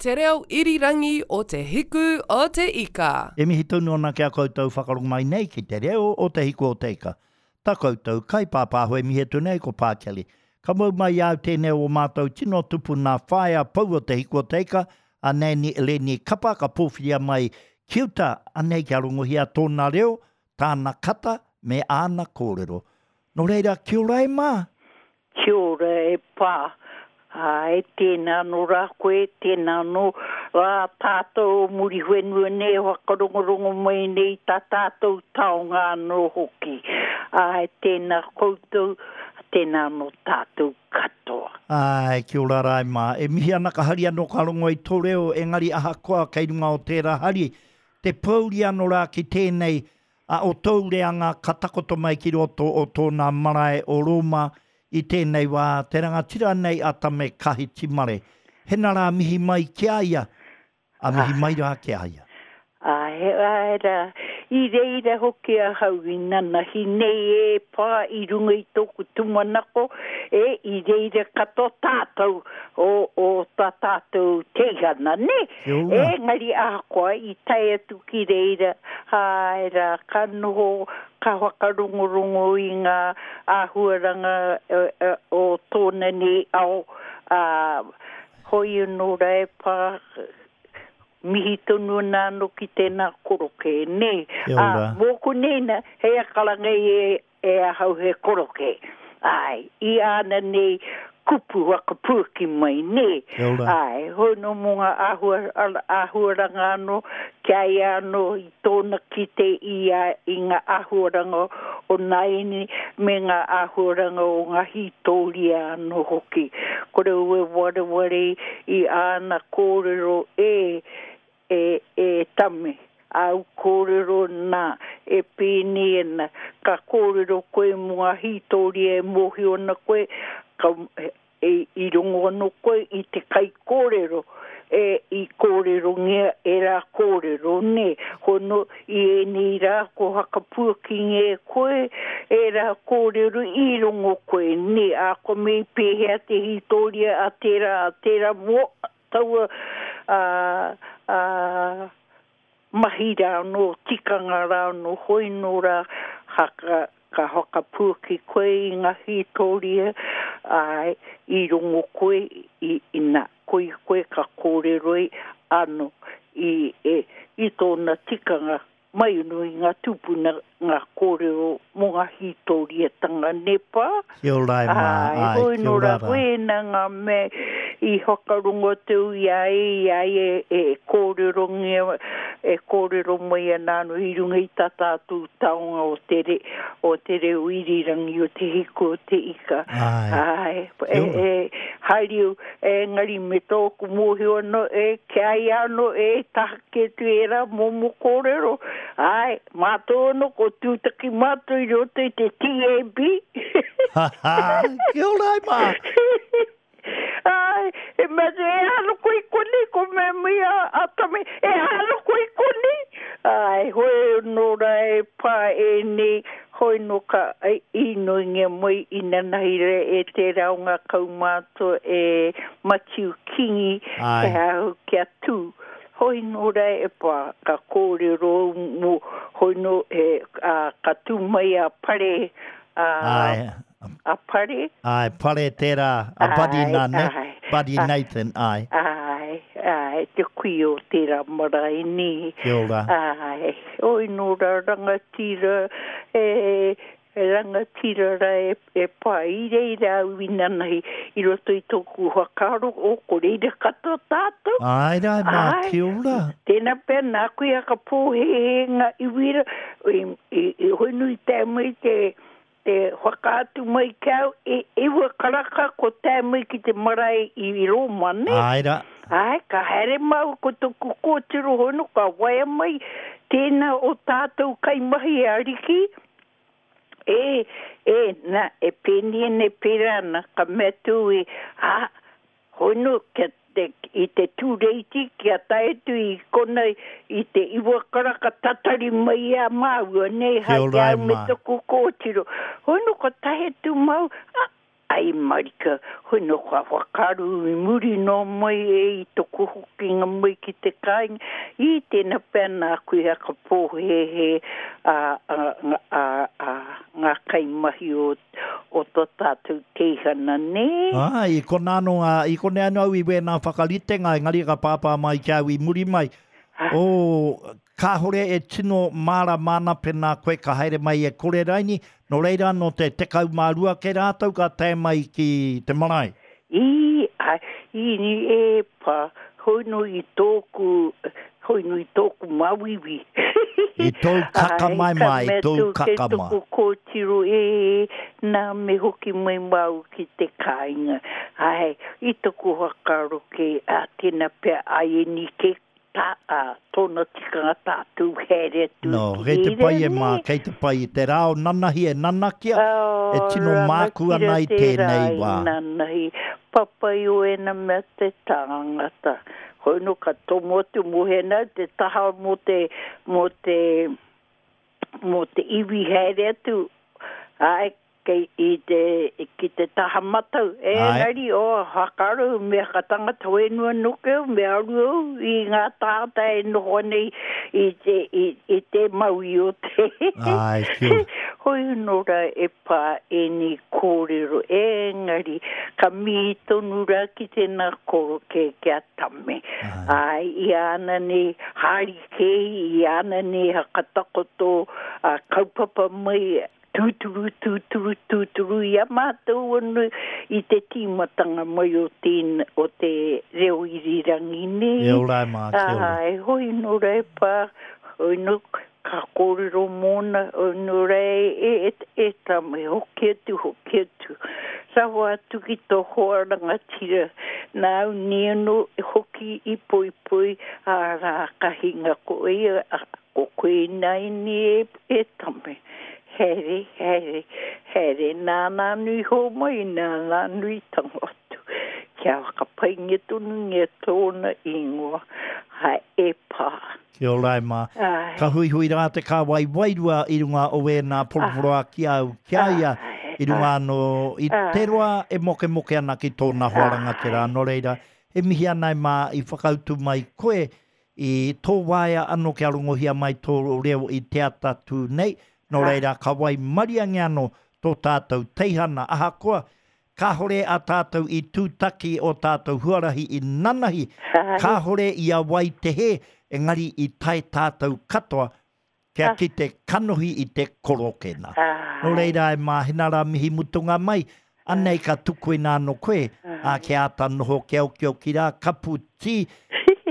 Te reo irirangi o Te Hiku o Te Ika. E mihi tonu ana ki a koutou whakarongo mai nei ki te reo o Te Hiku o Te Ika. Ta koutou kaipāpāho e mihi atu nei ko Pā Kelly. Ka mau mai i a au tēnei o ō mātou tino tupuna whaea pou o Te Hiku o Te Ika, a Nanny Eleni Kapa ka pōwhiria mai ki uta, anei kia rongohia tōna reo, tāna kata me āna kōrero. Nō reira, kia ora e mā! Kia ora e pā. Āe, tēnā anō rā koe, tēnā anō rā tātou o Muriwhenua nei e whakarongorongo mai nei i tā tātou taonga anō hoki. Āe, tēnā koutou, tēnā anō tātou katoa. Āe, kia ora rā e mā. E mihi ana ka hari anō ka rongo i tō reo, engari ahakoa kei runga o tērā hari, te pōuri anō rā ki tēnei A o tōu reanga ka takoto mai ki roto o tōna marae o Rōma i tēnei wā, te rangatira nei a Tame Kahitimare. Hena rā mihi mai ki a ia, a mihi mai rā ki a ia. Āe, āe rā, i reira hoki ahau i nanahi nei e pā i runga i tōku tūmanako, e, i reira katoa tātou o, o tā tātou teihana, nē? Engari ahakoa i tae atu ki reira, āe rā, ka noho, ka whakarongorongo i ngā āhuaranga o tōna nei ao, ā, hoi anō rā e pā, mihi tonu ana anō ki tēnā korokē, nē? Ā, mōku nei nā, hei a karanga i e E ahau he koroke. Āe, i āna nei kupu whakapuaki mai, nē? Kia ora. Āe, hoi nō mō ngā āhua, āhuaranga anō, ki a ia anō i tōna kite i a, i ngā āhuaranga o nāianei me ngā āhuaranga o ngā hītōria anō hoki. Kore au e wareware i āna kōrero e, E, e Tame, āu kōrero nā, e pēnei ana, ka kōrero koe mō ngā hītōria e mōhio ana koe, ka, e, i rongo anō koe i te kaikōrero, e, i kōrerongia ērā kōrero, nē. Hono, i ēnei rā ko whakapuakingia e koe ērā kōrero i rongo koe, nē, ā, ko me i pēhea te hītōria a tērā, a tērā mō, Taua mahi rā anō, tikanga rā anō, hoi nō rā ka whakapuaki koe i ngā hītōria, āe, i rongo koe, ina, koia koe ka kōrero anō i tōna tikanga Mai anō i ngā tūpuna ngā kōrero mō ngā hītōriatanga Nepā. Kia ora e mā, āe, kia nō ora rā. Wēnā ngā mea i whakarongo atu i a ia, i a ia e kōrerongia, e kōrero mai ana anō i runga i tā tātou taonga o te re, o te reo irirangi, o te hiku o te ika. Āe. Āe, e, e, haere au, engari me tōku mōhio anō, e, ki a ia anō, e, taha Kē atu ērā momo kōrero, āe, mātou anō ko tūtaki mātou i roto i te TAB. Ha ha, kia ora e mā! Āe, e mea atu, e aro koe i konei, ko mea mai a, a Tame, e aro koe i konei? Āe, hoi anō rā e pā ēnei, hoi nō ka īnoingia mai inanahi rā e tērā o ngā kaumātua e Matiu Kingi, Āe. he au kia tū. Hoi nō rā e pā, ka kōrero au mō, hoi nō, he, ā, ka tū mai a Pare, ā, Āe. a Pare. Āe, Pare tērā, a Buddy Āe, nā, nē? āe. Buddy Nathan, āe. Āe, āe, te kuia o tērā marae, nē. Kia ora. Āe, hoi nō rā rangatira, e, He rangatira ra e pa i reira au inanahi i roto i toku whakaaro, o ko reira katoa tatou. Ae ra e ma, kia ora. Tena pea naku i whakapohehe nga iwi ra, i hoinu i tae mai te te whakaatu mai ki au, e iwa karaka ko tae mai ki te marae i Roma, ne? Ae ra. Ae, ka haere maua ko toku kotiro hono ka waea mai tena o tatou kaimahi ariki, E, e, na, e pēnei ana, e pērā ana, ka mea atu e, ā, hono, kia te, i te tūreiti, kia tae atu i kona i te iwa karaka tatari mai i a māua, nei, Kia hai ora ki e au me mā. toku kōtiro. Hono, ka tae atu māua, ā, Ai marika, hoi no ka whakaaro i muri noa mai e i toku hokinga mai ki te kāinga, i tēnā pea nāku i whakapōhēhē a, a, a, a, ngā kaimahi o, o tō tātou teihana, nē? Āe, i konā anō ngā, i konei anō au i wēnā whakaritenga, engari ka pāpā mai ki a au i muri mai, oh, Kāhore e tino mārama ana pēnā koe ka haere mai e kore raini, nō reira nō te 12 kē rātou ka tae mai ki te marae. I, a, i, e pa, hoi no i tōku, hoi no i tōku māuiui. I tōu kakamaemae, i tōu kakama. Kei toku kōtiro, e, nā, me hoki mai māu ki te kāinga. Āe, i toku whakaaro kē, ā, tēnā pea āianī kē Tā, ā, tōna tikanga tātou haere atu No, ki kei te reira, pai e nē? mā, kei te pai i te rā o nanahi e nanakia, Oh, e tino māku rangatira ana i te rā tēnei i wā. nanahi, papai o ēnā mea te tāngata. Hoi nō ka tomo atu mō hena te taha mō te, mō te, mō te iwi haere atu, āe, Kei i te, ki te taha matau, engari, oh, whakaaro, mea ka tangata whenua noke au, me aru au i ngā tāngata e noho ana i, i te, i, i te maui o te. Āe, kia ora. Hoi anō rā e pā ēnei kōrero, engari, ka mihi tonu rā ki tēnā koroke ki a Tame. Āe, i āna nei hārikē, i āna nei hakatakoto ā kaupapa mai, Tūturu, tūturu, tūturu i a mātou anō i te tīmatanga mai o tēn, o te reo irirangi nei. E ora e mā, kia ora. Āe, hoi nō rā e pā, hoi nō, ka kōrero mōna, hoi nō rā e, e, e, e tama, e hoki atu, hoki atu. Rawa atu ki tō hoa rangatira, nāu nei anō hoki i poipoi, ā rā ka hinga ko ia, Ko koe ināianei e, e Tame. Haere, haere, haere, nāna anō i hōmai, nāna anō i tango atu. Kia whakapaingia tonungia tōna ingoa, hai, e pā. Kia ora e mā. Āe. Ka huihui rā te kāwai wairua i runga o ēnā poroporoā ki a au, ki a ia, i runga anō i te roa e mokemoke ana ki tōna hoa rangatira. Nō reira, e mihi ana e mā i whakautu mai koe I tō waea anō kia rongohia mai tō reo i te atatū nei, nō reira ka waimariangia anō tō tātou teihana ahakoa kāhore a tātou i tūtaki ō tātou huarahi i nanahi, kāhore i a wai te hē, engari i tae tātou katoa kia kite kanohi i te korokena. Nō reira e Māhina rā mihi mutunga mai, anei ka tukuina anō koe, ā, kia āta noho kia okioki rā, kapu tī,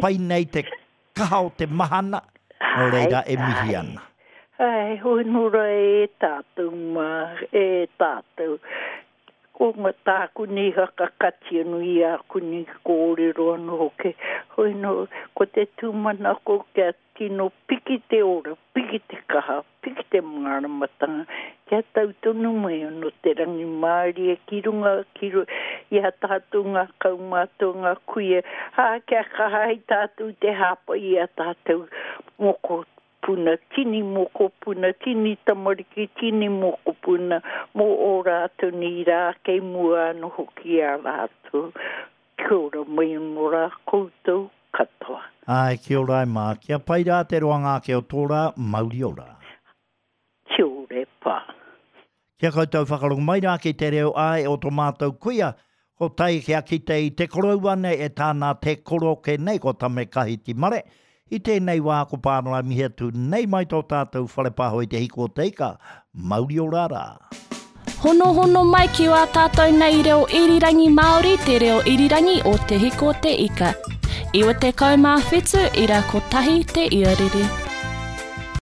pai nei te kaha o te mahana, nō reira e mihi ana. Āe, hoi nō rā e tātou mā, e tātou. Ko ngā tāku nei whakakati anō i āku nei kōrero anō hoki. Hoi nō, ko te tūmanako kia Tino piki te ora, piki te kaha, piki te māramatanga, kia tau tonu mai ano te rangimārie ki runga, ki runga i a tātou ngā kaumātua, ngā kuia, ā, kia kaha ai tātou te hāpai i a tātou mokopuna, tini mokopuna, tini tamariki, tini mokopuna, mō ō rātou nei rā kei mua anō hoki i a rātou. Kia ora mai anō rā koutou katoa. Āe, kia ora e mā. Kia pai rā te roanga ake o tō rā, mauri ora. Kia ora e pā. Kia koutou whakarongo mai rā ki te reo āe o to mātou kuia, ko tai kia kite i te koroua nei e tāna te koroke nei ko Tame Kahiti Mare. I tēnei wā ko Pānara mihi atu nei mai tō tātou whare pāho i te hiko o te ika, mauri ora rā. Honohono mai ki wā tātou nei reo irirangi Māori te reo irirangi o Te Hiko o Te Ika. 97 ira kotahi te iarere.